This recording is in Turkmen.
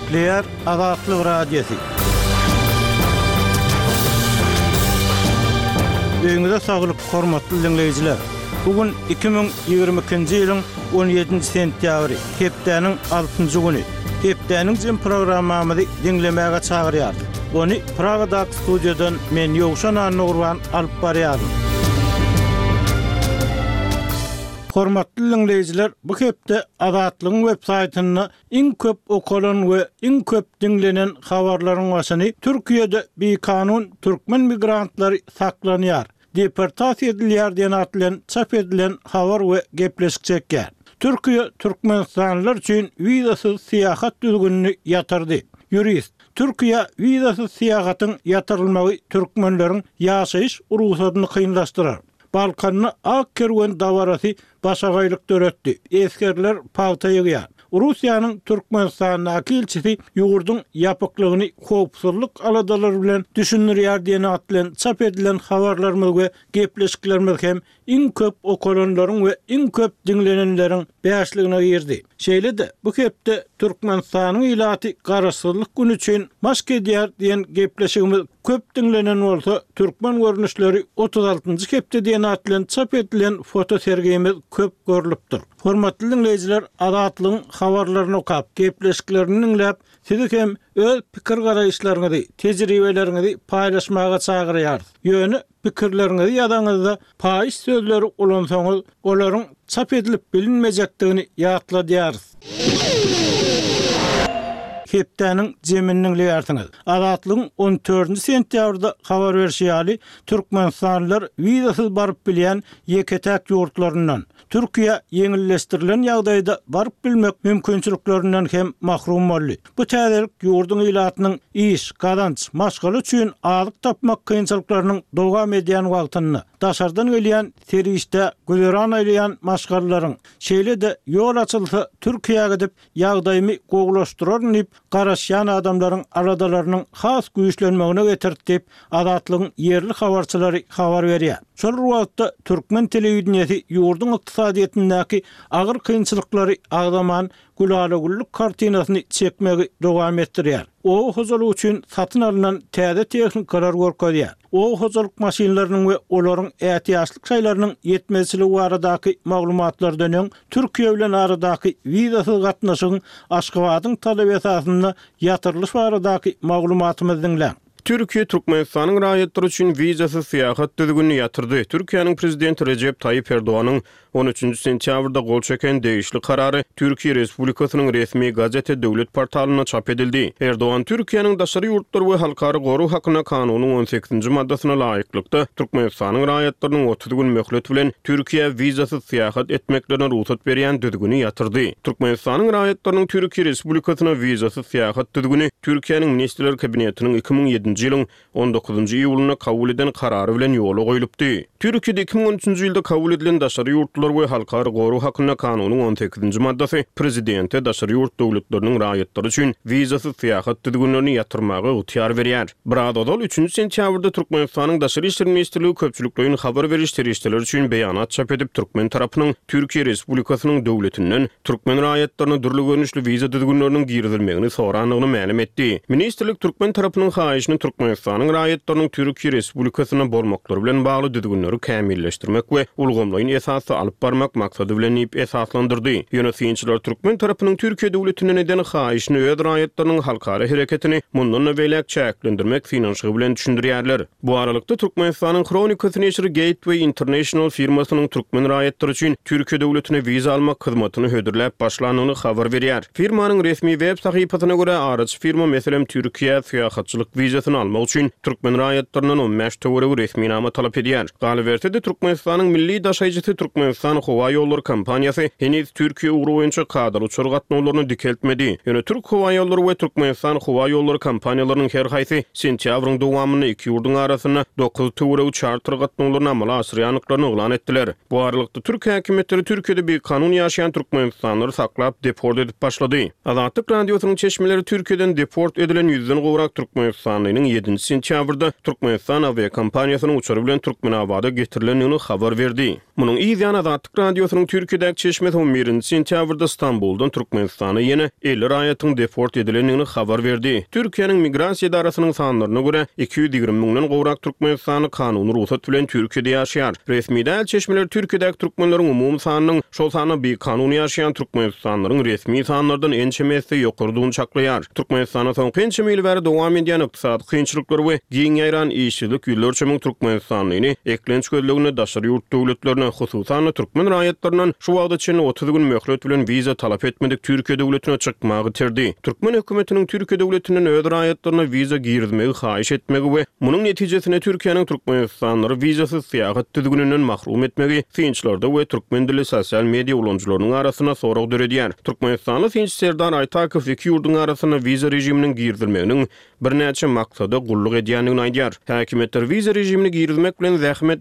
Gepleýär Azatlyk Radiosy. Öýüňize saglyk, hormatly diňleýjiler! Bu gün 2022-nji ýylyň 17-nji sentýabry, hepdäniň altynjy güni. Hepdäniň jem programmamyzy diňlemäge çagyrýarys. Ony Pragadaky studiýadan men Ýowşan Annagurban alyp barýaryn. Hormatly diňleýjiler, bu hepde Azatlygyň web saýtynda iň köp okalan we iň köp diňlenen habarlaryň başyny Türkiýede bikanun türkmen migrantlary saklanýar, deportasiýa edilýär diýen at bilen çap edilen habar we gepleşik çekýär. Türkiýe türkmenistanlylar üçin wizasyz syýahat düzgünini ýatyrdy. Ýurist, Türkiýä wizasyz syýahatyň ýatyrylmagy türkmenleriň ýaşaýyş rugsadyny kynlaşdyrar. Balkanda ak kerwen dabarasy başagaýlyk döretdi, esgerler pagta ýygýar. Russiýanyň Türkmenistandaky ilçisi ýurduň ýapyklygyny howpsuzlyk aladalary bilen düşündirýär diýen at bilen çap edilen habarlarymyz we gepleşiklerimiz hem iň köp okalanlaryň we iň köp diňlenenleriň bäşligine girdi. Şeýle-de, bu hepde Türkmenistanyň ilaty Garaşsyzlyk güni üçin maşk edýär diýen gepleşigimiz köp diňlenen bolsa, Türkmen görnüşleri 36-njy hepde diýen at bilen çap edilen fotosergimiz köp görlüpdir. Hormatly diňleýjiler, Azatlygyň habarlaryny okap, gepleşiklerini diňläp, sizi hem öz pikir-garaýyşlaryňyzy, tejribeleriňizi paýlaşmaga çagyrýarys. Ýöne Pikirleriňizi ýazaňyzda paýyş sözleri ulansaňyz, olaryň çap edilip bilinmejekdigini ýatladýarys. Hepdäniň jemini diňleýärsiňiz. Azatlygyň on dördünji sentýabrda habar berşi ýaly, türkmenistanlylar wizasyz baryp bilýän ýeke-täk ýurtlaryndan, Türkiýä ýeňilleşdirilen ýagdaýda baryp bilmek mümkinçiliklerinden hem mahrum boldy. Bu täzelik ýurduň ilatynyň iş, gazanç, maşgala üçin azyk tapmak kynçylyklarynyň dowam edýän wagtynda, daşardan gelýän serişdä güzeran aýlaýan maşgalalaryň, şeýle-de ýol açylsa Türkiýä gidip ýagdaýymy gowulaşdyraryn diýip garaşýan adamlaryň aladalarynyň has güýçlenmegine getirdi diýip, Azatlygyň ýerli habarçylary habar berýär. Şol bir wagtda, türkmen telewideniýesi ýurduň ykdysadyýetindäki agyr kynçylyklary agzaman, gülala-güllük kartinasyny çekmegi dowam etdirýär. Oba hojalygy üçin satyn alnan täze tehnikalar görkezýär. Oba hojalyk maşynlarynyň we olaryň ätiýaçlyk şaýlarynyň ýetmezçiligi baradaky maglumatlardan öň Türkiýe bilen aradaky wizasyz gatnaşygyň Aşgabadyň talaby esasynda ýatyrylyşy baradaky maglumatymyzy diňläň. Türkiýe Türkmenistanyň raýatlary üçin wizasyz syýahat düzgünini ýatyrdy. Türkiýäniň Prezidenti Rejep Taýyp Erdoganyň on üçünji sentýabrda gol çeken degişli karary Türkiýe Respublikasynyň resmi gazete döwlet portalynda çap edildi. Erdogan Türkiýäniň Daşary ýurtlar we halkara gorag hakynda kanunyň on sekizinji maddasyna laýyklykda Türkmenistanyň raýatlarynyň 30 gün möhlet bilen Türkiýä wizasyz syýahat etmeklerine rugsat berýän düzgüni ýatyrdy. Türkmenistanyň raýatlarynyň Türkiýe Respublikasyna wizasyz syýahat düzgüni Türkiýäniň Ministrler Kabinetiniň 2007-nji ýylyň on dokuzynjy iýulynda kabul eden karary bilen ýola goýlupdy. Türkiýede 2013-nji ýylda kabul edilen Daşary ýurtlular we halkara gorag hakynda kanunyň on sekizinji maddasy prezidente daşary ýurt döwletleriniň raýatlary üçin wizasyz syýahat düzgünlerini ýatyrmaga ygtyýar berýär. Biraz ozal, üçünji sentýabrda Türkmenistanyň Daşary işler ministrligi köpçülikleýin habar beriş serişdeleri üçin beýanat çap edip, türkmen tarapynyň Türkiýe Respublikasynyň döwletinden türkmen raýatlaryna dürli görnüşli wiza düzgünleriniň girizilmegini sorandygyny mälim etdi. Ministrlik türkmen tarapynyň haýyşyny Türkmenistanyň raýatlarynyň Türkiýe Respublikasynda bolmaklary bilen bagly düzgünleri kämilleşdirmek we ulgamlaýyn esasda alyp barmak maksady bilen diýip esaslandyrdy. Ýöne synçylar türkmen tarapynyň Türkiýe döwletinden eden haýyşyny öz raýatlarynyň halkara hereketini mundan-da beýläk çäklendirmek synanyşygy bilen düşündirýärler. Bu aralykda, Türkmenistanyň Hronikasy neşiri Gateway International firmasynyň türkmen raýatlary üçin Türkiýe döwletine wiza almak hyzmatyny hödürläp başlandygyny habar berýär. Firmanyň resmi web sahypasyna görä, araçy firma, meselem, Türkiýä syýahatçylyk wizasyny almak üçin türkmen raýatlaryndan 15 töweregi resminama talap edýär. Galyberse-de, Türkmenistanyň milli daşaýjysy Türkmenistan howa ýollary kompaniýasy heniz Türkiýe ugry boýunça kadaly uçar gatnawlaryny dikeltmedi. Ýöne Türk howaýollary we Türkmenistan howa ýollary kompaniýalarynyň her haýsy sentýabryň dowamynda iki ýurduň arasynda dokuz töweregi çarter gatnawlaryny amala aşyrýandyklaryny yglan etdiler. Bu aralykda, türk häkimiýetleri Türkiýede bikanun ýaşaýan türkmenistanlylary saklap, deport edip başlady. Azatlyk Radiosynyň çeşmeleri Türkiýeden deport edilen ýüzden gowrak türkmenistanlynyň ýedinji sentýabrda Türkmenistan awiakompaniýasynyň uçary bilen Türkmenabada getirilendigini habar berdi. Munuň yz ýany. Azatlyk Radiosynyň Türkiýedäki çeşmesi on birinji sentýabrda Stambuldan Türkmenistana ýene 50 raýatyň deport edilendigini habar berdi. Türkiýäniň Migrasiýa edarasynyň sanlaryna görä, 220 müňden gowrak türkmenistanly kanuny rugsat bilen Türkiýede ýaşaýar. Resmi däl çeşmeler Türkiýedäki türkmenleriň umumy sanynyň, şol sanda bikanun ýaşaýan türkmenistanlylaryň resmi sanlardan ençeme esse ýokarydygyny çaklaýar. Türkmenistanda soňky ençeme ýyl bäri dowam edýän ykdysady kynçylyklar we giň ýaýran işsizlik ýüzlerçe müň türkmenistanlyny eklenç gözleginde daşary ýurt döwletlerine, hususan-da, türkmen raýatlaryndan şu wagta çenli 30 gün möhlet bilen wiza talap etmedik Türkiýe döwletine çykmagy iterdi. Türkmen hökümetiniň Türkiýe döwletinden öz raýatlaryna wiza girizmegi haýyş etmegi we munuň netijesinde Türkiýäniň türkmenistanlylary wizasyz syýahat düzgüninden mahrum etmegi synçylarda we türkmen dilli sosial media ulanyjylarynyň arasynda sorag döredýär. Türkmenistanly synçy Serdar Aýtakow iki ýurduň arasynda wiza režiminiň girizilmeginiň birnäçe maksada gulluk edýändigini aýdýar. Häkimiýetler wiza režimini girizmek bilen zähmet.